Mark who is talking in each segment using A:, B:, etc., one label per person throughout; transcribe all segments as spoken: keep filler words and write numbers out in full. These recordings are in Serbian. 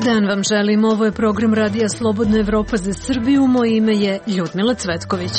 A: dan vam želim, ovo je program Radija Slobodna Evropa za Srbiju, moje ime je Ljudmila Cvetković.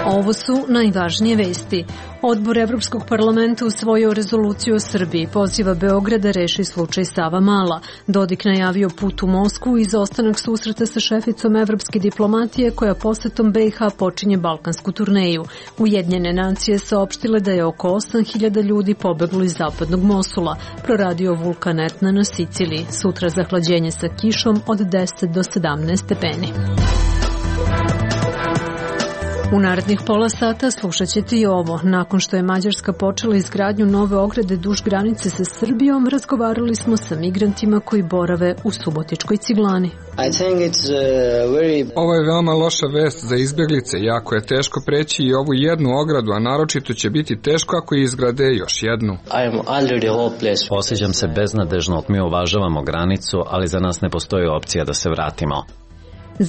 A: Ovo su najvažnije vesti. Odbor Evropskog parlamenta usvojio rezoluciju o Srbiji, poziva Beograd da reši slučaj Savamala. Dodik najavio put u Moskvu i izostanak susreta sa šeficom evropske diplomatije koja posetom B i H počinje balkansku turneju. Ujedinjene nacije saopštile da je oko osam hiljada ljudi pobeglo iz zapadnog Mosula. Proradio vulkan Etna na Siciliji. Sutra zahlađenje sa kišom od deset do sedamnaest stepeni. U narednih pola sata slušat ćete i ovo. Nakon što je Mađarska počela izgradnju nove ograde duž granice sa Srbijom, razgovarali smo sa migrantima koji borave u Subotičkoj Ciglani.
B: Very... Ovo je veoma loša vest za izbjeglice, jako je teško preći i ovu jednu ogradu, a naročito će biti teško ako je izgrade još jednu.
C: Osjećam se beznadežno, mi uvažavamo granicu, ali za nas ne postoji opcija da se vratimo.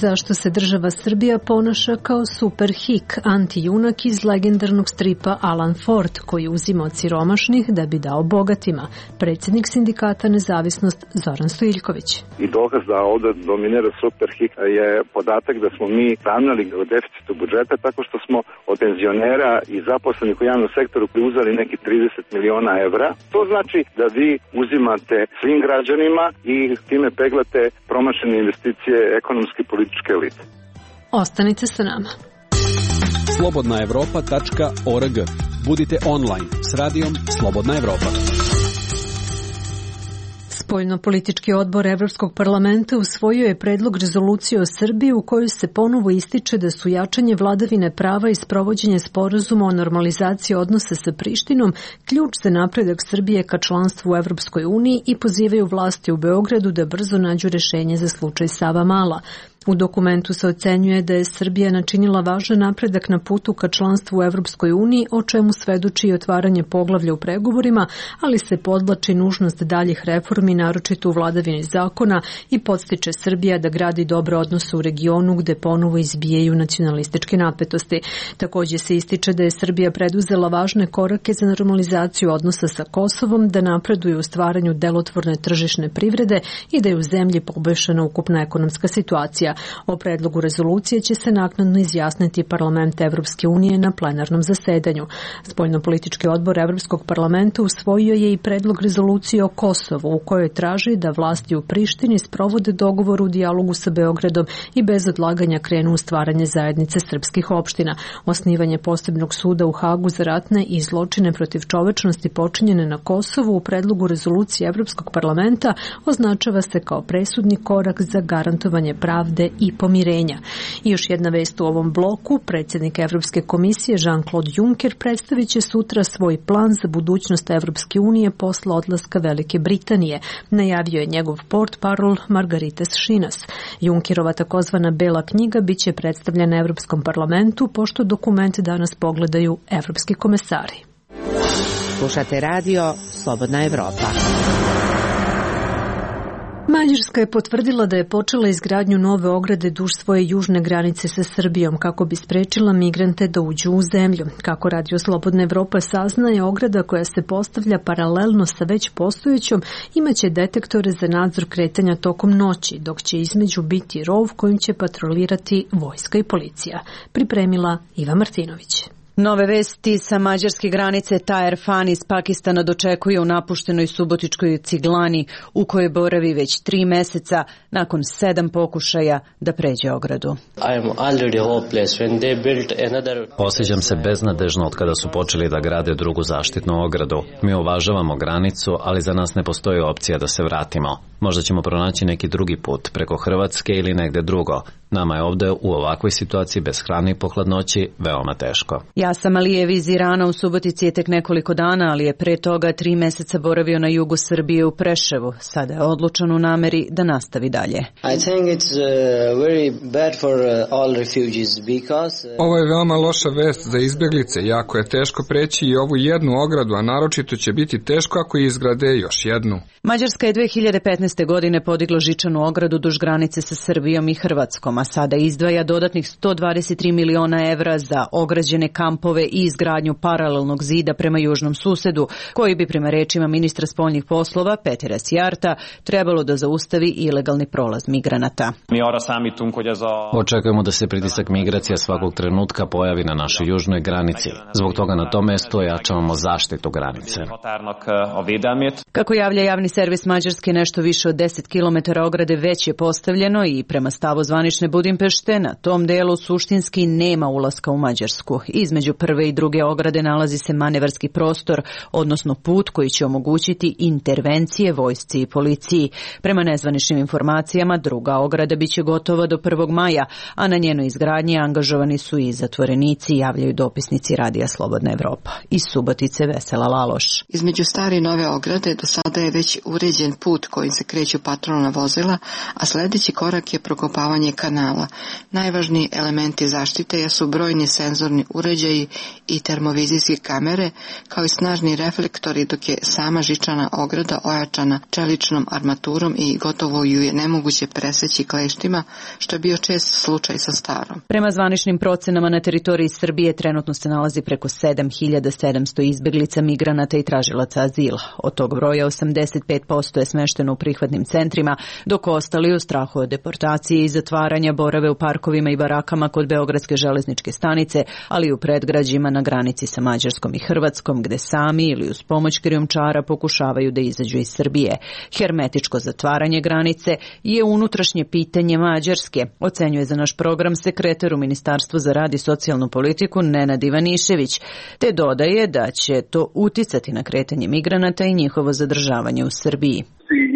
A: Zašto se država Srbija ponaša kao superhik, antijunak iz legendarnog stripa Alan Ford, koji uzima od siromašnih da bi dao bogatima. Predsjednik sindikata Nezavisnost Zoran Stojiljković.
D: I dokaz da ovdje dominira superhik je podatak da smo mi ravnali u deficitu budžeta tako što smo od penzionera i zaposlenih u javnom sektoru uzeli neki trideset miliona evra. To znači da vi uzimate svim građanima i time peglate promašene investicije ekonomske politike.
A: Ostanite sa nama.
E: slobodna evropa tačka org. Budite online s radijom Slobodna Evropa.
A: Spoljno-politički odbor Evropskog parlamenta usvojio je predlog rezolucije o Srbiji u kojoj se ponovo ističe da su jačanje vladavine prava i sprovođenje sporazuma o normalizaciji odnosa sa Prištinom ključ za napredak Srbije ka članstvu u Evropskoj uniji i pozivaju vlasti u Beogradu da brzo nađu rešenje za slučaj Savamala. U dokumentu se ocenjuje da je Srbija načinila važan napredak na putu ka članstvu u Evropskoj uniji, o čemu svedoči i otvaranje poglavlja u pregovorima, ali se podvlači nužnost daljih reformi, naročito u vladavini zakona, i podstiče Srbija da gradi dobre odnose u regionu gde ponovo izbijaju nacionalističke napetosti. Također se ističe da je Srbija preduzela važne korake za normalizaciju odnosa sa Kosovom, da napreduje u stvaranju delotvorne tržišne privrede i da je u zemlji poboljšana ukupna ekonomska situacija. O predlogu rezolucije će se naknadno izjasniti Parlament Evropske unije na plenarnom zasedanju. Spoljnopolitički odbor Evropskog parlamenta usvojio je i predlog rezolucije o Kosovu, u kojoj traži da vlasti u Prištini sprovode dogovor u dijalogu sa Beogradom i bez odlaganja krenu u stvaranje zajednice srpskih opština. Osnivanje posebnog suda u Hagu za ratne i zločine protiv čovečnosti počinjene na Kosovu u predlogu rezolucije Evropskog parlamenta označava se kao presudni korak za garantovanje pravde i pomirenja. I još jedna vest u ovom bloku, predsjednik Evropske komisije Jean-Claude Juncker predstavit će sutra svoj plan za budućnost Evropske unije posle odlaska Velike Britanije, najavio je njegov portparol Margaritas Šinas. Junckerova takozvana Bela knjiga biće predstavljena Evropskom parlamentu, pošto dokument danas pogledaju evropski komesari.
F: Slušate radio Slobodna Evropa.
A: Mađarska je potvrdila da je počela izgradnju nove ograde duž svoje južne granice sa Srbijom kako bi sprečila migrante da uđu u zemlju. Kako Radio Slobodna Evropa saznaje, ograda koja se postavlja paralelno sa već postojećom imaće detektore za nadzor kretanja tokom noći, dok će između biti rov kojim će patrolirati vojska i policija. Pripremila Iva Martinović.
G: Nove vesti sa mađarske granice Taher Fan iz Pakistana dočekuje u napuštenoj Subotičkoj Ciglani, u kojoj boravi već tri meseca nakon sedam pokušaja da pređe ogradu.
C: Osjećam se beznadežno od kada su počeli da grade drugu zaštitnu ogradu. Mi uvažavamo granicu, ali za nas ne postoji opcija da se vratimo. Možda ćemo pronaći neki drugi put, preko Hrvatske ili negde drugo. Nama je ovde u ovakvoj situaciji bez hrane i po hladnoći veoma teško.
G: Jasam Alijev iz Irana u Subotici je tek nekoliko dana, ali je pre toga tri meseca boravio na jugu Srbije u Preševu. Sada je odlučan u nameri da nastavi dalje.
B: Ovo je veoma loša vest za izbjeglice, jako je teško preći i ovu jednu ogradu, a naročito će biti teško ako izgrade još jednu.
G: Mađarska je dve hiljade petnaeste. šesnaeste. godine podiglo žičanu ogradu duž granice sa Srbijom i Hrvatskom, a sada izdvaja dodatnih sto dvadeset tri miliona evra za ograđene kampove i izgradnju paralelnog zida prema južnom susedu, koji bi prema rečima ministra spoljnih poslova Petera Sjarta trebalo da zaustavi ilegalni prolaz migranata.
C: Očekujemo da se pritisak migracija svakog trenutka pojavi na našoj južnoj granici. Zbog toga na tom mestu ojačavamo zaštitu granice.
G: Kako javlja javni servis Mađarske, nešto više od deset kilometara ograde već je postavljeno i prema stavu zvanične Budimpešte na tom delu suštinski nema ulaska u Mađarsku. Između prve i druge ograde nalazi se manevarski prostor, odnosno put koji će omogućiti intervencije vojsci i policiji. Prema nezvaničnim informacijama, druga ograda biće gotova do prvog maja, a na njenoj izgradnji angažovani su i zatvorenici, javljaju dopisnici Radija Slobodna Evropa. Iz Subotice Vesela Laloš.
H: Između stare i nove ograde do sada je već uređen put kojim se kreću patrolna vozila, a sljedeći korak je prokopavanje kanala. Najvažniji elementi zaštite jesu brojni senzorni uređaji i termovizijske kamere, kao i snažni reflektori, dok je sama žičana ograda ojačana čeličnom armaturom i gotovo ju je nemoguće preseći kleštima, što je bio čest slučaj sa starom.
G: Prema zvaničnim procenama na teritoriji Srbije trenutno se nalazi preko sedam hiljada sedamsto izbeglica, migranata i tražilaca azila. Od tog broja osamdeset pet posto je smešteno u prihvatnim centrima, dok ostali u strahu od deportacije i zatvaranja borave u parkovima i barakama kod Beogradske železničke stanice, ali i u predgrađima na granici sa Mađarskom i Hrvatskom, gde sami ili uz pomoć krijumčara pokušavaju da izađu iz Srbije. Hermetičko zatvaranje granice je unutrašnje pitanje Mađarske, ocenjuje za naš program sekretar u Ministarstvu za rad i socijalnu politiku Nenad Ivanišević, te dodaje da će to uticati na kretanje migranata i njihovo zadržavanje u Srbiji.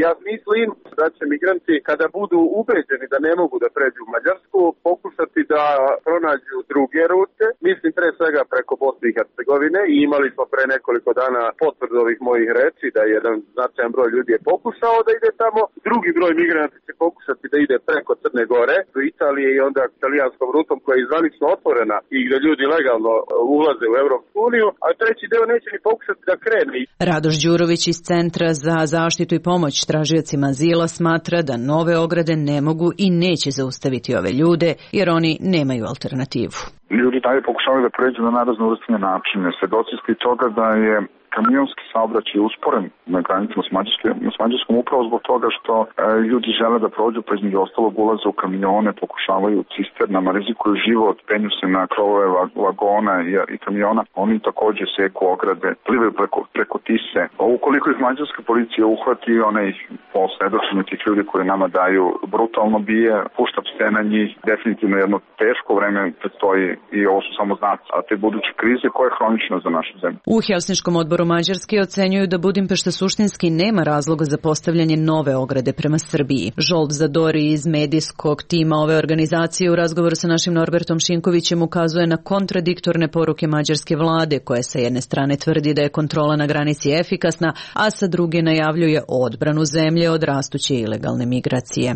I: Ja mislim da će migranti, kada budu ubeđeni da ne mogu da pređu u Mađarsku, pokušati da pronađu druge rute. Mislim pre svega preko Bosne i Hercegovine i imali smo pre nekoliko dana potvrdu ovih mojih reči da jedan značajan broj ljudi je pokušao da ide tamo. Drugi broj migranata će pokušati da ide preko Crne Gore do Italije i onda italijanskom rutom koja je izvanično otvorena i gde ljudi legalno ulaze u Evropsku uniju, a treći deo neće ni pokušati da krene.
G: Radoš Đurović iz Centra za zaštitu i pomoć tražiocima azila smatra da nove ograde ne mogu i neće zaustaviti ove ljude, jer oni nemaju alternativu.
J: Ljudi dalje pokušavaju da pređu na najraznovrsnije načine. Svedoci ste toga da je kamionski saobraćaj usporen na granicama s Mađarskom, s Mađarskom upravo zbog toga što e, ljudi žele da prođu, pa između ostalog ulaze u kamione, pokušavaju cisternama, rizikuju život, penju se na krovove vagona i, i kamiona. Oni takođe seku ograde, plivaju preko, preko Tise. Ukoliko ih mađarska policija uhvati, ona ih po svedočenju tih ljudi koji nama daju brutalno bije, pušta pse na njih. Definitivno jedno teško vreme predstoji i ovo su samo znaci, a te buduće krize koja je hronična za našu zemlju.
G: U Helsinškom odboru Mađarske ocenjuju da Budimpešta suštinski nema razloga za postavljanje nove ograde prema Srbiji. Žolt Zadori iz medijskog tima ove organizacije u razgovoru sa našim Norbertom Šinkovićem ukazuje na kontradiktorne poruke mađarske vlade, koja sa jedne strane tvrdi da je kontrola na granici efikasna, a sa druge najavljuje odbranu zemlje od rastuće ilegalne migracije.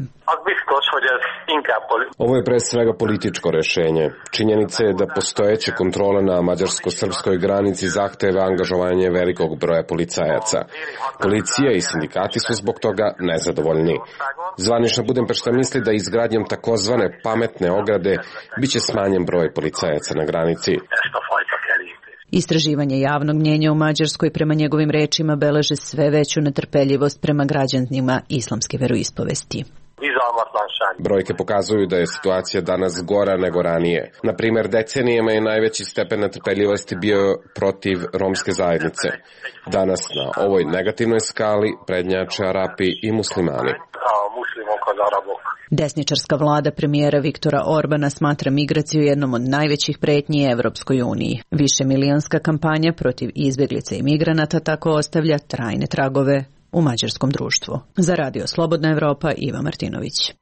K: Ovo je pre svega političko rešenje. Činjenica je da postojeće kontrole na mađarsko-srpskoj granici zahteve angažovanje velikog broja policajaca. Policija i sindikati su zbog toga nezadovoljni. Zvanična Budimpešta misli da izgradnjom takozvane pametne ograde biće smanjen broj policajaca na granici.
G: Istraživanje javnog mnjenja u Mađarskoj prema njegovim rečima beleže sve veću netrpeljivost prema građanima islamske veroispovesti.
K: Brojke pokazuju da je situacija danas gora nego ranije. Na primjer, decenijama je najveći stepen netrpeljivosti bio protiv romske zajednice. Danas na ovoj negativnoj skali prednjače Arapi i muslimani.
G: Desničarska vlada premijera Viktora Orbana smatra migraciju jednom od najvećih pretnji Evropskoj uniji. Višemilijonska kampanja protiv izbjeglica i migranata tako ostavlja trajne tragove u mađarskom društvu. Za Radio Slobodna Evropa, Iva Martinović.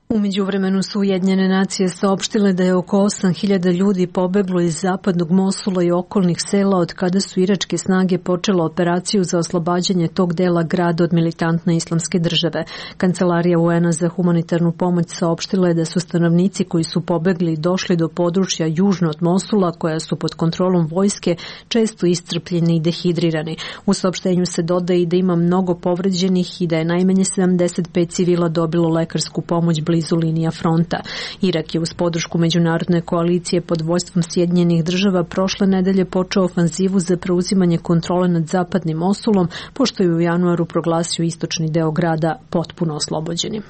A: U međuvremenu su Ujedinjene nacije saopštile da je oko osam hiljada ljudi pobeglo iz zapadnog Mosula i okolnih sela od kada su iračke snage počele operaciju za oslobađanje tog dela grada od militantne islamske države. Kancelarija U N-a za humanitarnu pomoć saopštila je da su stanovnici koji su pobegli došli do područja južno od Mosula, koja su pod kontrolom vojske, često iscrpljeni i dehidrirani. U saopštenju se dodaje i da ima mnogo povređenih i da je najmanje sedamdeset pet civila dobilo lekarsku pomoć blizu linija fronta. Irak je uz podršku međunarodne koalicije pod vođstvom Sjedinjenih država prošle nedelje počeo ofanzivu za preuzimanje kontrole nad zapadnim Mosulom, pošto je u januaru proglasio istočni deo grada potpuno oslobođenim.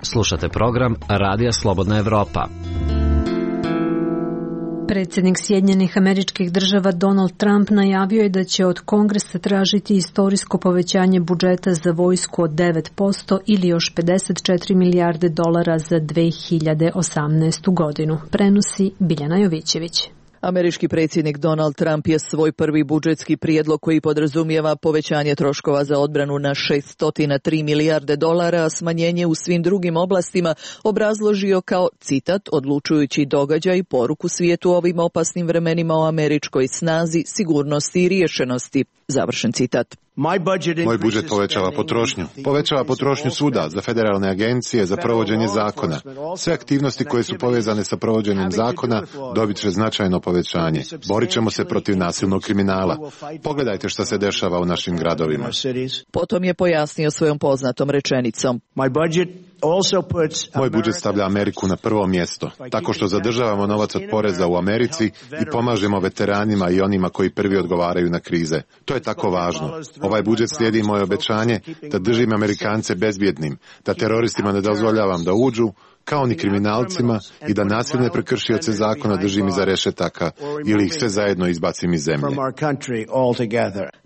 C: Slušate program Radija Slobodna Evropa.
A: Predsjednik Sjedinjenih Američkih Država Donald Trump najavio je da će od Kongresa tražiti istorijsko povećanje budžeta za vojsku od devet posto ili još pedeset četiri milijarde dolara za dve hiljade osamnaestu godinu. Prenosi Biljana Jovićević.
L: Američki predsjednik Donald Trump je svoj prvi budžetski prijedlog koji podrazumijeva povećanje troškova za odbranu na šesto tri milijarde dolara, a smanjenje u svim drugim oblastima obrazložio kao, citat, odlučujući događaj i poruku svijetu u ovim opasnim vremenima o američkoj snazi, sigurnosti i riješenosti. Završen citat.
M: Moj budžet povećava potrošnju. Povećava potrošnju svuda, za federalne agencije, za provođenje zakona. Sve aktivnosti koje su povezane sa provođenjem zakona dobit će značajno povećanje. Borit ćemo se protiv nasilnog kriminala. Pogledajte što se dešava u našim gradovima.
L: Potom je pojasnio svojom poznatom rečenicom.
M: Moj budžet stavlja Ameriku na prvo mjesto, tako što zadržavamo novac od poreza u Americi i pomažemo veteranima i onima koji prvi odgovaraju na krize. To je tako važno. Ovaj budžet slijedi moje obećanje da držim Amerikance bezbjednim, da teroristima ne dozvoljavam da uđu, kao ni kriminalcima, i da nasilne prekršioce zakona držim iza rešetaka ili ih sve zajedno izbacim iz zemlje.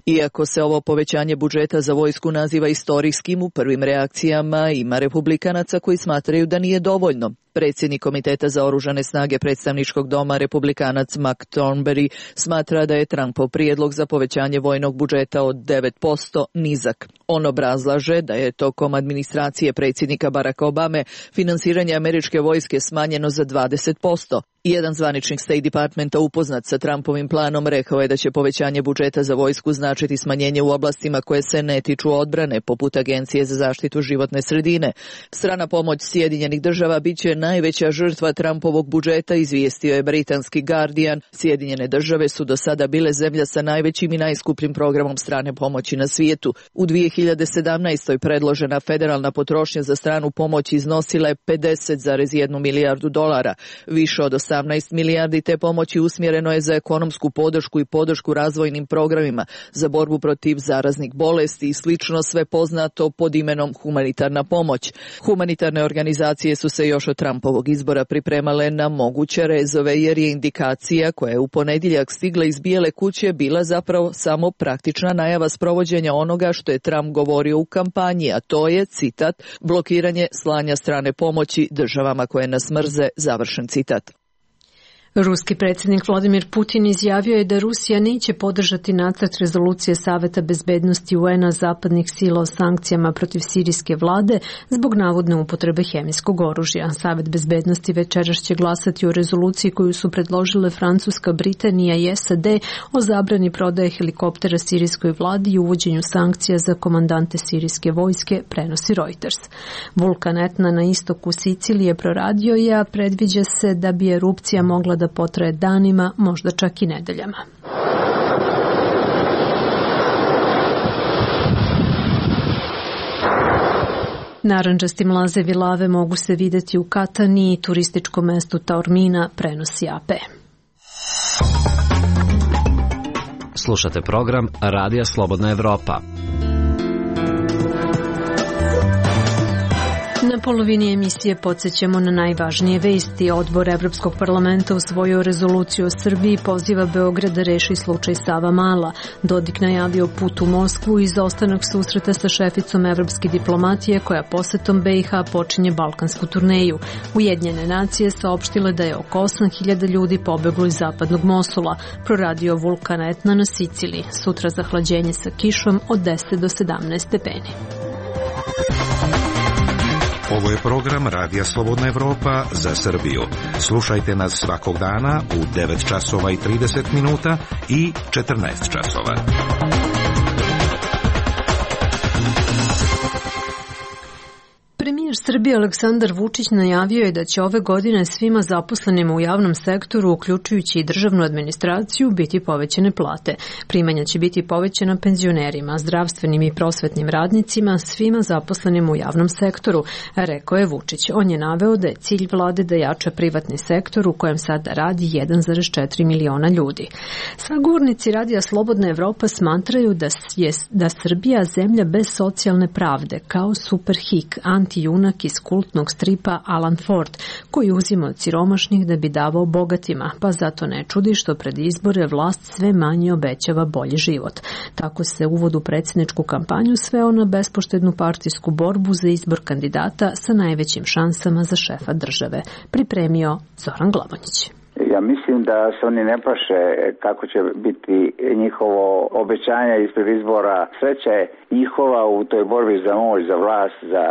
L: Iako se ovo povećanje budžeta za vojsku naziva istorijskim, u prvim reakcijama ima republikanaca koji smatraju da nije dovoljno. Predsjednik Komiteta za oružane snage predstavničkog doma, republikanac Mark Thornberry, smatra da je Trumpov prijedlog za povećanje vojnog budžeta od devet posto nizak. On obrazlaže da je tokom administracije predsjednika Baracka Obame finansiranje američke vojske smanjeno za dvadeset posto. Jedan zvaničnik State Departmenta upoznat sa Trumpovim planom rekao je da će povećanje budžeta za vojsku značiti smanjenje u oblastima koje se ne tiču odbrane, poput Agencije za zaštitu životne sredine. Strana pomoć Sjedinjenih država bit će najveća žrtva Trumpovog budžeta, izvijestio je britanski Guardian. Sjedinjene države su do sada bile zemlja sa najvećim i najskupljim programom strane pomoći na svijetu. U dvije hiljade sedamnaestoj predložena federalna potrošnja za stranu pomoć iznosila je pedeset zarez jednu milijardu dolara, više od osamnaest milijardi te pomoći usmjereno je za ekonomsku podršku i podršku razvojnim programima, za borbu protiv zaraznih bolesti i slično, sve poznato pod imenom humanitarna pomoć. Humanitarne organizacije su se još od Trumpovog izbora pripremale na moguće rezove, jer je indikacija koja je u ponedjeljak stigla iz Bijele kuće bila zapravo samo praktična najava sprovođenja onoga što je Trump govorio u kampanji, a to je, citat, blokiranje slanja strane pomoći državama koje nas mrze, završen citat.
A: Ruski predsjednik Vladimir Putin izjavio je da Rusija neće podržati nacrt rezolucije Saveta bezbednosti U N-a zapadnih sila o sankcijama protiv sirijske vlade zbog navodne upotrebe hemijskog oružja. Savet bezbednosti večeras će glasati o rezoluciji koju su predložile Francuska, Britanija i S A D o zabrani prodaje helikoptera sirijskoj vladi i uvođenju sankcija za komandante sirijske vojske, prenosi Reuters. Vulkan Etna na istoku Sicilije proradio je, a predviđa se da bi erupcija mogla da potraje danima, možda čak i nedeljama. Narandžasti mlazevi lave mogu se vidjeti u Katani i turističkom mestu Taormina, prenosi A P.
C: Slušate program Radija Slobodna Evropa.
A: Na polovini emisije podsjećamo na najvažnije vesti. Odbor Evropskog parlamenta usvojio rezoluciju o Srbiji i poziva Beograd da reši slučaj Savamala. Dodik najavio put u Moskvu i izostanak susreta sa šeficom evropske diplomatije koja posetom B i H počinje balkansku turneju. Ujedinjene nacije saopštile da je oko osam hiljada ljudi pobeglo iz zapadnog Mosula. Proradio vulkan Etna na Siciliji. Sutra zahlađenje sa kišom od deset do sedamnaest stepeni.
N: Ovo je program Radija Slobodna Evropa za Srbiju. Slušajte nas svakog dana u devet časova i trideset minuta i četrnaest časova.
A: Premijer Srbije Aleksandar Vučić najavio je da će ove godine svima zaposlenima u javnom sektoru, uključujući i državnu administraciju, biti povećane plate. Primanja će biti povećana penzionerima, zdravstvenim i prosvetnim radnicima, svima zaposlenima u javnom sektoru, rekao je Vučić. On je naveo da je cilj vlade da jača privatni sektor u kojem sada radi jedan zarez četiri miliona ljudi. Sagovornici Radija Slobodna Evropa smatraju da je da Srbija zemlja bez socijalne pravde, kao Superhik, anti-junak iz kultnog stripa Alan Ford, koji uzima od siromašnih da bi davao bogatima, pa zato ne čudi što pred izbore vlast sve manje obećava bolji život. Tako se uvod u predsjedničku kampanju sveo na bespoštednu partijsku borbu za izbor kandidata sa najvećim šansama za šefa države, pripremio Zoran Glavonjić.
O: Ja mislim da se oni ne plaše kako će biti njihovo obećanje ispred izbora. Sreća je njihova u toj borbi za moć, za vlast, za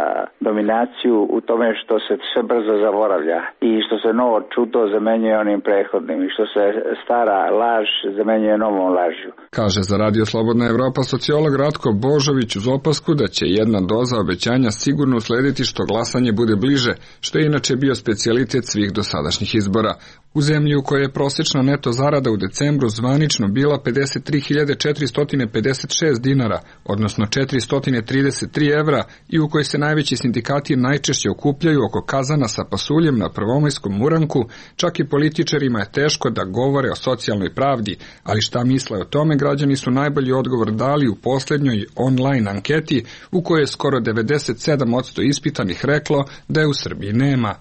O: dominaciju, u tome što se sve brzo zaboravlja i što se novo čudo zamenjuje onim prethodnim i što se stara laž zamenjuje novom lažju.
B: Kaže za Radio Slobodna Evropa sociolog Ratko Božović uz opasku da će jedna doza obećanja sigurno uslediti što glasanje bude bliže, što je inače bio specijalitet svih dosadašnjih izbora. U zemlji u kojoj je prosječna neto zarada u decembru zvanično bila pedeset tri hiljade četiristo pedeset šest dinara, odnosno četiristo trideset tri evra, i u kojoj se najveći sindikati najčešće okupljaju oko kazana sa pasuljem na prvomajskom uranku, čak i političarima je teško da govore o socijalnoj pravdi, ali šta misle o tome građani su najbolji odgovor dali u posljednjoj online anketi u kojoj je skoro devedeset sedam posto ispitanih reklo da je u Srbiji nema.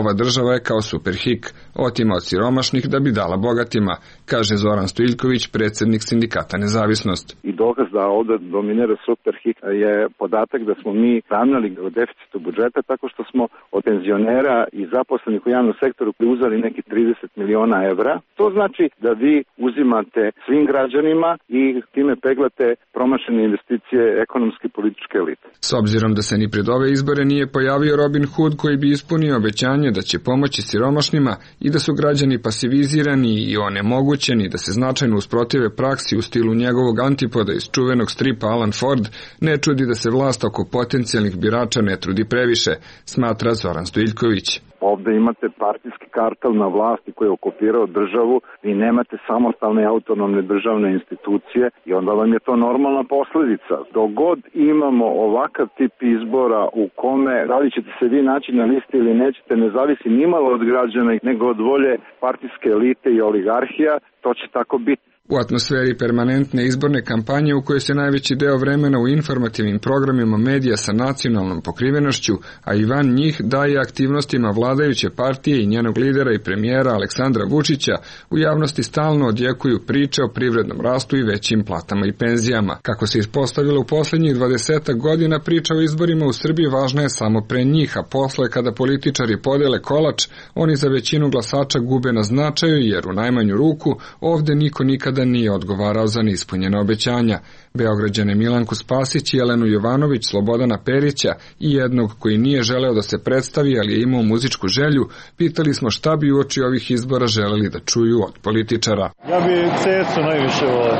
B: Ova država je kao Superhik, otima od siromašnih da bi dala bogatima, kaže Zoran Stojiljković, predsjednik sindikata Nezavisnost.
D: I dokaz da ovdje dominira Superhik je podatak da smo mi ravnali u deficitu budžeta tako što smo od penzionera i zaposlenih u javnom sektoru uzeli neki trideset miliona evra. To znači da vi uzimate svim građanima i time peglate promašene investicije ekonomske i političke elite.
B: S obzirom da se ni pred ove izbore nije pojavio Robin Hood koji bi ispunio obećanje da će pomoći siromašnima i da su građani pasivizirani i onemogućeni da se značajno usprotive praksi u stilu njegovog antipoda iz čuvenog stripa Alan Ford, ne čudi da se vlast oko potencijalnih birača ne trudi previše, smatra Zoran Stojiljković.
D: Ovde imate partijski kartel na vlasti koji je okupirao državu i nemate samostalne autonomne državne institucije i onda vam je to normalna posledica. Dok god imamo ovakav tip izbora u kome da li ćete se vi naći na listi ili nećete ne zavisi nimalo od građana nego od volje partijske elite i oligarhija, to će tako biti.
B: U atmosferi permanentne izborne kampanje u kojoj se najveći deo vremena u informativnim programima medija sa nacionalnom pokrivenošću, a i van njih daje aktivnostima vladajuće partije i njenog lidera i premijera Aleksandra Vučića, u javnosti stalno odjekuju priče o privrednom rastu i većim platama i penzijama. Kako se ispostavilo u posljednjih dvadesetak godina, priča o izborima u Srbiji važna je samo pre njih, a posle kada političari podele kolač, oni za većinu glasača gube na značaju jer u najmanju ruku ovde niko nikada nije odgovarao za neispunjena obećanja. Beograđane Milanku Spasić, Jelenu Jovanović, Slobodana Perića i jednog koji nije želeo da se predstavi, ali je imao muzičku želju, pitali smo šta bi uoči ovih izbora želeli da čuju od političara.
P: Ja bi Cecu najviše volio.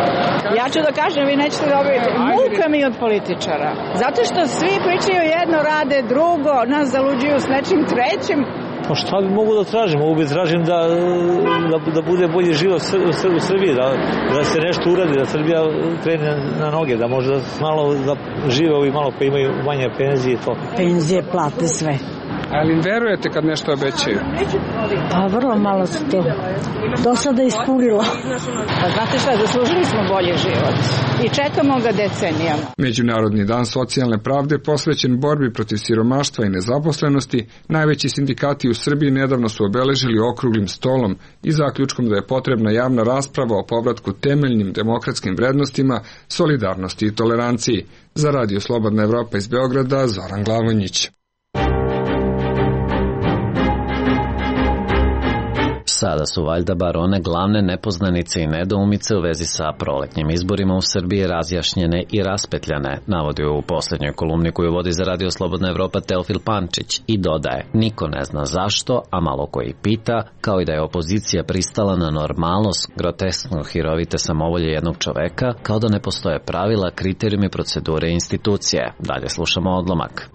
Q: Ja ću da kažem, vi nećete dobiti. Muka mi od političara. Zato što svi pričaju jedno, rade drugo, nas zaluđuju s nečim trećim.
P: Pa šta bi mogu da tražim? Mogu bi tražim da, da, da bude bolji život u Srbiji, da, da se nešto uradi, da Srbija krene na noge, da može da malo da žive ovi malo koji imaju manje penzije i to.
Q: Penzije, plate, sve.
B: Ali im verujete kad nešto obećaju?
Q: Pa vrlo malo su to do sada ispunilo. Pa znate šta, zaslužili smo bolji život i čekamo ga decenijama.
B: Međunarodni dan socijalne pravde posvećen borbi protiv siromaštva i nezaposlenosti, najveći sindikati u Srbiji nedavno su obeležili okruglim stolom i zaključkom da je potrebna javna rasprava o povratku temeljnim demokratskim vrednostima, solidarnosti i toleranciji. Za Radio Slobodna Evropa iz Beograda, Zoran Glavonjić.
C: Sada su valjda bar one glavne nepoznanice i nedoumice u vezi sa proletnjim izborima u Srbiji razjašnjene i raspetljane, navodi u posljednjoj kolumni koju vodi za Radio Slobodna Evropa Teofil Pančić i dodaje: niko ne zna zašto, a malo koji pita, kao i da je opozicija pristala na normalnost groteskno hirovite samovolje jednog čoveka, kao da ne postoje pravila, kriterijumi, procedure i institucije. Dalje slušamo odlomak.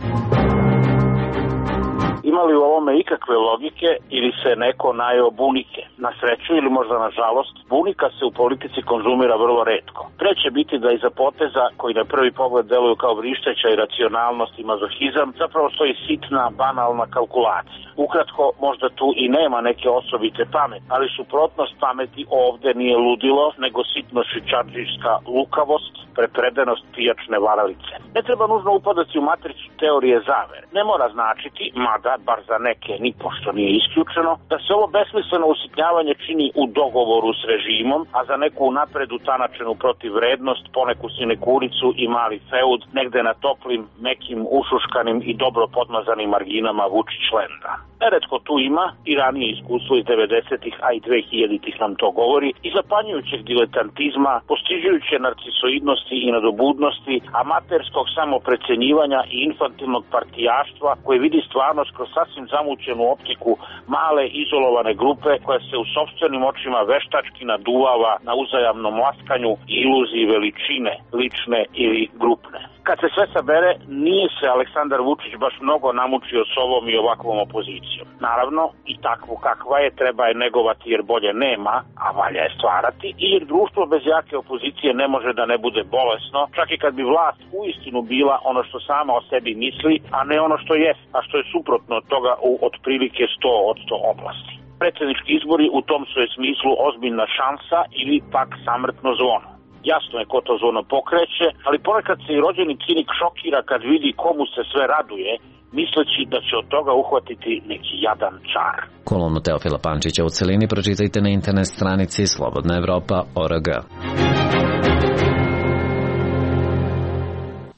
R: Ima li u ovome ikakve logike ili se neko najeo bunike? Na sreću ili možda na žalost, bunika se u politici konzumira vrlo retko. Pre će biti da iza poteza, koji na prvi pogled deluju kao vrišteća i racionalnost i mazohizam, zapravo stoji sitna, banalna kalkulacija. Ukratko, možda tu i nema neke osobite pameti, ali suprotnost pameti ovde nije ludilo, nego sitno švičardžijska lukavost, prepredenost pijačne varalice. Ne treba nužno upadati u matricu teorije zavere. Ne mora značiti, mada, bar za neke ni pošto nije isključeno, da se ovo besmisleno usitnjavanje čini u dogovoru s režimom, a za neku napred utanačenu protivrednost, poneku sinekuricu i mali feud, negde na toplim, mekim, ušuškanim i dobro podmazanim marginama Vučić-lenda. Neretko tu ima i ranije iskustvo iz devedesetih, a i dvehiljaditih nam to govori, i zapanjujućeg diletantizma, postižujuće narcisoidnosti i nadobudnosti, amaterskog samoprecenjivanja i infantilnog partijaštva koje vidi stvarnost kroz sasvim zamućenu optiku male izolovane grupe koja se u sopstvenim očima veštački naduvava na uzajamnom laskanju i iluziji veličine, lične ili grupne. Kad se sve sabere, nije se Aleksandar Vučić baš mnogo namučio s ovom i ovakvom opozicijom. Naravno, i takvu kakva je treba je negovati jer bolje nema, a valja je stvarati, i jer društvo bez jake opozicije ne može da ne bude bolesno, čak i kad bi vlast uistinu bila ono što sama o sebi misli, a ne ono što je, a što je suprotno od toga u otprilike sto od sto oblasti. Predsjednički izbori u tom su je smislu ozbiljna šansa ili pak samrtno zvono. Jasno je ko to zvono pokreće, ali ponekad se i rođeni cinik šokira kad vidi komu se sve raduje, misleći da će od toga uhvatiti neki jadan čar.
C: Kolumnu Teofila Pančića u celini pročitajte na internet stranici slobodna evropa tačka org.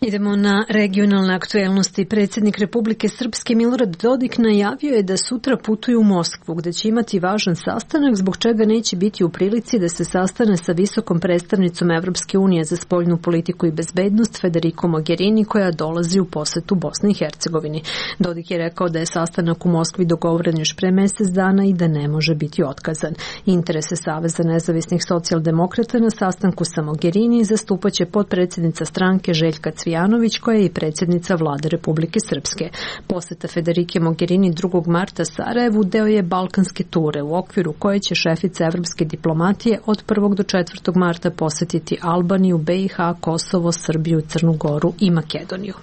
A: Idemo na regionalne aktuelnosti. Predsjednik Republike Srpske Milorad Dodik najavio je da sutra putuju u Moskvu, gde će imati važan sastanak, zbog čega neće biti u prilici da se sastane sa visokom predstavnicom Evropske unije za spoljnu politiku i bezbednost Federico Mogherini, koja dolazi u posetu Bosni i Hercegovini. Dodik je rekao da je sastanak u Moskvi dogovoren još pre mesec dana i da ne može biti otkazan. Interese Saveza nezavisnih socijaldemokrata na sastanku sa Mogherini zastupaće potpredsjednica stranke Željka Cvijanović, koja je i predsjednica vlade Republike Srpske. Poseta Federike Mogherini drugog marta Sarajevu deo je balkanske ture, u okviru koje će šefica evropske diplomatije od prvog do četvrtog marta posetiti Albaniju, B i H, Kosovo, Srbiju, Crnu Goru i Makedoniju.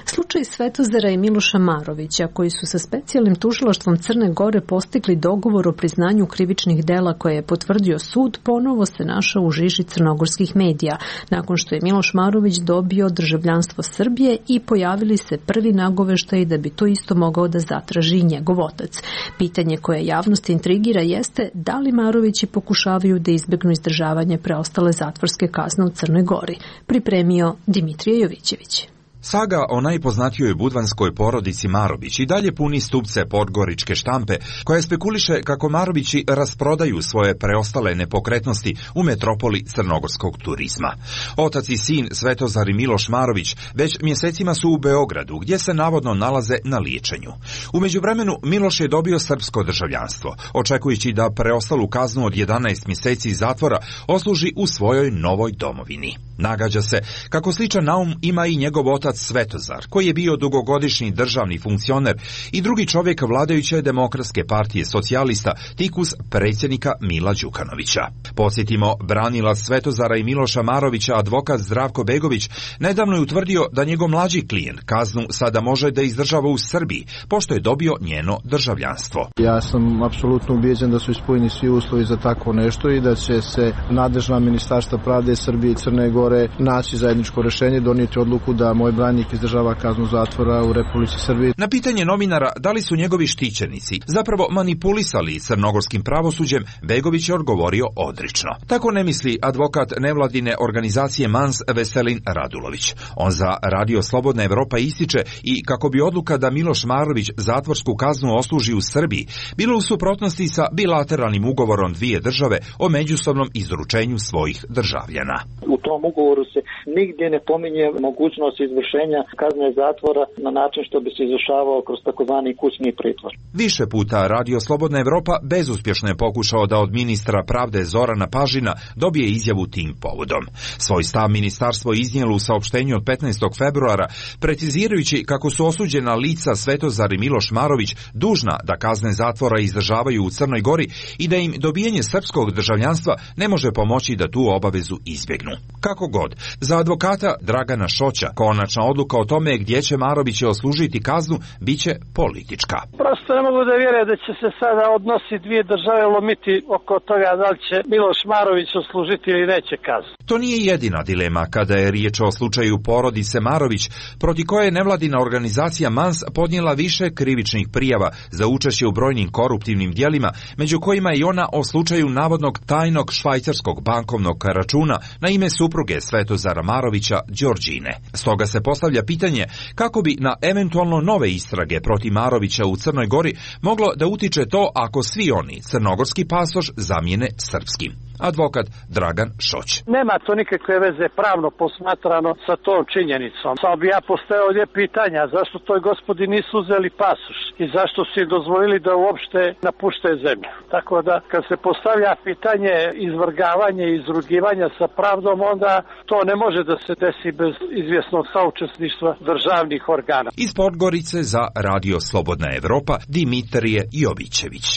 A: Slučaj Svetozara i Miloša Marovića, koji su sa specijalnim tužilaštvom Crne Gore postigli dogovor o priznanju krivičnih dela koje je potvrdio sud, ponovo se našao u žiži crnogorskih medija, nakon što je Miloš Marović dobio državljanstvo Srbije i pojavili se prvi nagoveštaji da bi to isto mogao da zatraži i njegov otac. Pitanje koje javnost intrigira jeste da li Marovići pokušavaju da izbegnu izdržavanje preostale zatvorske kazne u Crnoj Gori. Pripremio Dimitrije Jovićević.
S: Saga o najpoznatijoj budvanskoj porodici Marović i dalje puni stupce podgoričke štampe, koja spekuliše kako Marovići rasprodaju svoje preostale nepokretnosti u metropoli crnogorskog turizma. Otac i sin Svetozar i Miloš Marović već mjesecima su u Beogradu, gdje se navodno nalaze na liječenju. U međuvremenu Miloš je dobio srpsko državljanstvo, očekujući da preostalu kaznu od jedanaest mjeseci zatvora osluži u svojoj novoj domovini. Nagađa se kako sličan naum ima i njegov otac Svetozar, koji je bio dugogodišnji državni funkcioner i drugi čovjek vladajuće Demokratske partije socijalista, tikus predsjednika Mila Đukanovića. Podsjetimo, branilac Svetozara i Miloša Marovića, advokat Zdravko Begović, nedavno je utvrdio da njegov mlađi klijent kaznu sada može da izdržava u Srbiji, pošto je dobio njeno državljanstvo.
T: Ja sam apsolutno ubijeđen da su ispunjeni svi uslovi za tako nešto i da će se nadležna ministarstva pravde Srbije i Crne Gore pregovore, naći zajedničko rešenje, donijeti odluku da moj branjenik izdržava kaznu zatvora u Republici Srbiji.
S: Na pitanje novinara da li su njegovi štićenici zapravo manipulisali crnogorskim pravosuđem, Begović je odgovorio odrično. Tako ne misli advokat nevladine organizacije Mans Veselin Radulović. On za Radio Slobodna Evropa ističe i kako bi odluka da Miloš Marović zatvorsku kaznu osluži u Srbiji bilo u suprotnosti sa bilateralnim ugovorom dvije države o međusobnom izručenju svojih državljana.
U: U tom ugovoru se nigdje ne pominje mogućnost izvršenja kazne zatvora na način što bi se izvršavao kroz takozvani kućni pritvor.
S: Više puta Radio Slobodna Evropa bezuspješno je pokušao da od ministra pravde Zorana Pažina dobije izjavu tim povodom. Svoj stav ministarstvo iznijelo u saopštenju od petnaestog februara, precizirajući kako su osuđena lica Svetozar i Miloš Marović dužna da kazne zatvora izdržavaju u Crnoj Gori i da im dobijanje srpskog državljanstva ne može pomoći da tu obavezu izbjegnu. Kako god, za advokata Dragana Šoća konačna odluka o tome gdje će Marović oslužiti kaznu biće politička.
V: Prosto ne mogu da vjerujem da će se sada odnosi dvije države lomiti oko toga da li će Miloš Marović oslužiti ili neće kaznu.
S: To nije jedina dilema kada je riječ o slučaju porodice Marović, proti koje je nevladina organizacija Mans podnijela više krivičnih prijava za učešće u brojnim koruptivnim djelima, među kojima i ona o slučaju navodnog tajnog švajcarskog bankovnog računa na ime supruge Svetozara Marovića, Đorđine. Stoga se postavlja pitanje kako bi na eventualno nove istrage protiv Marovića u Crnoj Gori moglo da utiče to ako svi oni crnogorski pasoš zamijene srpskim. Advokat Dragan Šoć.
V: Nema to nikakve veze pravno posmatrano sa tom činjenicom. Samo bi ja postavio ovdje pitanja zašto toj gospodi nisu uzeli pasoš i zašto su im dozvolili da uopšte napušte zemlju. Tako da kad se postavlja pitanje izvrgavanja i izrugivanja sa pravdom, onda to ne može da se desi bez izvjesnog saučesništva državnih organa.
S: Iz Podgorice za Radio Slobodna Evropa Dimitrije Jovićević.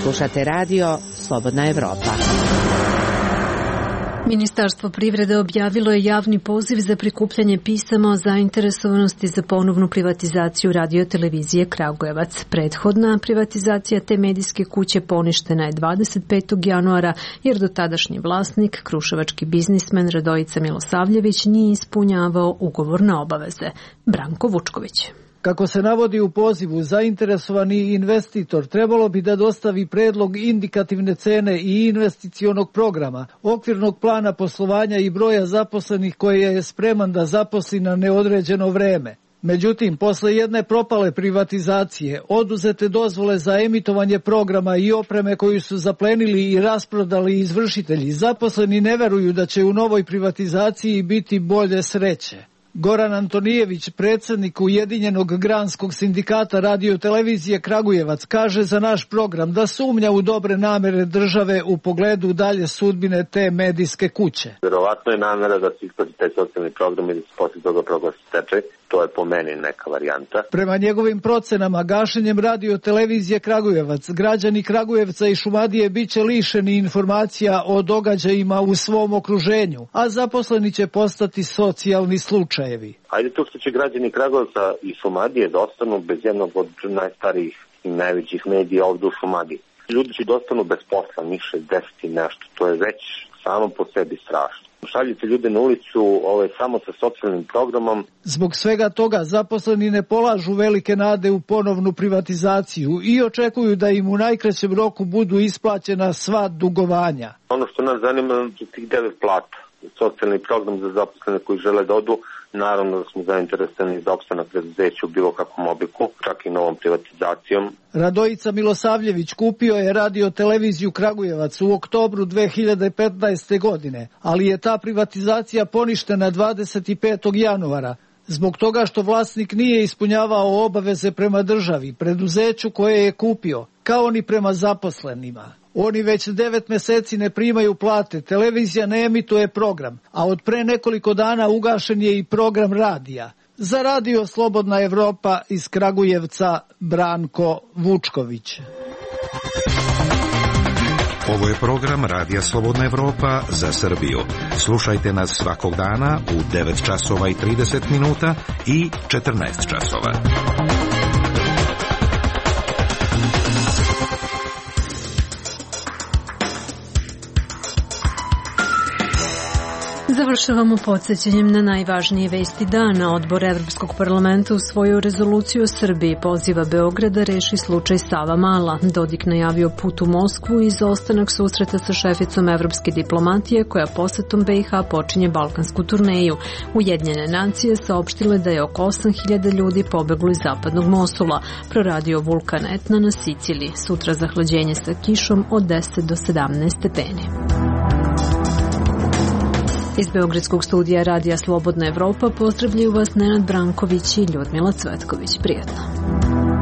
F: Slušate radio Slobodna Evropa.
A: Ministarstvo privrede objavilo je javni poziv za prikupljanje pisama o zainteresovanosti za ponovnu privatizaciju radio-televizije Kragujevac. Prethodna privatizacija te medijske kuće poništena je dvadeset petog januara jer dotadašnji vlasnik, kruševački biznismen Radojica Milosavljević, nije ispunjavao ugovorne obaveze. Branko Vučković.
W: Kako se navodi u pozivu, zainteresovani investitor trebalo bi da dostavi predlog indikativne cene i investicionog programa, okvirnog plana poslovanja i broja zaposlenih koje je spreman da zaposli na neodređeno vreme. Međutim, posle jedne propale privatizacije, oduzete dozvole za emitovanje programa i opreme koju su zaplenili i rasprodali izvršitelji, zaposleni ne veruju da će u novoj privatizaciji biti bolje sreće. Goran Antonijević, predsjednik Ujedinjenog granskog sindikata radio-televizije Kragujevac, kaže za naš program da sumnja u dobre namere države u pogledu dalje sudbine te medijske kuće.
X: Vjerovatno je namera da se isplati taj socijalni program i da se poslije toga proglasi stečaj. To je po meni neka varijanta.
W: Prema njegovim procenama, gašenjem radio-televizije Kragujevac, građani Kragujevca i Šumadije bit će lišeni informacija o događajima u svom okruženju, a zaposleni će postati socijalni slučajevi.
X: Ajde to što će građani Kragujevca i Šumadije da ostanu bez jednog od najstarijih i najvećih medija ovdje u Šumadiji. Ljudi će da ostanu bez posla, njih šezdeset i nešto. To je već samo po sebi strašno. Šaljite ljude na ulicu ovaj, samo sa socijalnim programom.
W: Zbog svega toga zaposleni ne polažu velike nade u ponovnu privatizaciju i očekuju da im u najkraćem roku budu isplaćena sva dugovanja.
X: Ono što nas zanima je tih devet plata. Socijalni program za zaposlene koji žele da odu, naravno da smo zainteresovani za opstanak preduzeća u bilo kakvom obliku, čak i novom privatizacijom.
W: Radojica Milosavljević kupio je radio-televiziju Kragujevac u oktobru dve hiljade petnaeste. godine, ali je ta privatizacija poništena dvadeset petog januara. Zbog toga što vlasnik nije ispunjavao obaveze prema državi, preduzeću koje je kupio, kao ni prema zaposlenima. Oni već devet mjeseci ne primaju plate, televizija ne emituje program, a od pre nekoliko dana ugašen je i program radija. Za Radio Slobodna Evropa iz Kragujevca, Branko Vučković.
N: Ovo je program Radija Slobodna Evropa za Srbiju. Slušajte nas svakog dana u devet časova i trideset minuta i četrnaest časova.
A: Završavamo podsjećanjem na najvažnije vesti dana. Odbor Evropskog parlamenta usvojio rezoluciju o Srbiji, poziva Beograd da reši slučaj Savamala. Dodik najavio put u Moskvu i izostanak susreta sa šeficom evropske diplomatije koja posetom B i H počinje balkansku turneju. Ujedinjene nacije saopštile da je oko osam hiljada ljudi pobeglo iz zapadnog Mosula. Proradio vulkan Etna na Siciliji. Sutra zahlađenje sa kišom od deset do sedamnaest stepeni. Iz Beogradskog studija Radija Slobodna Evropa pozdravljaju vas Nenad Branković i Ljudmila Cvetković. Prijatno.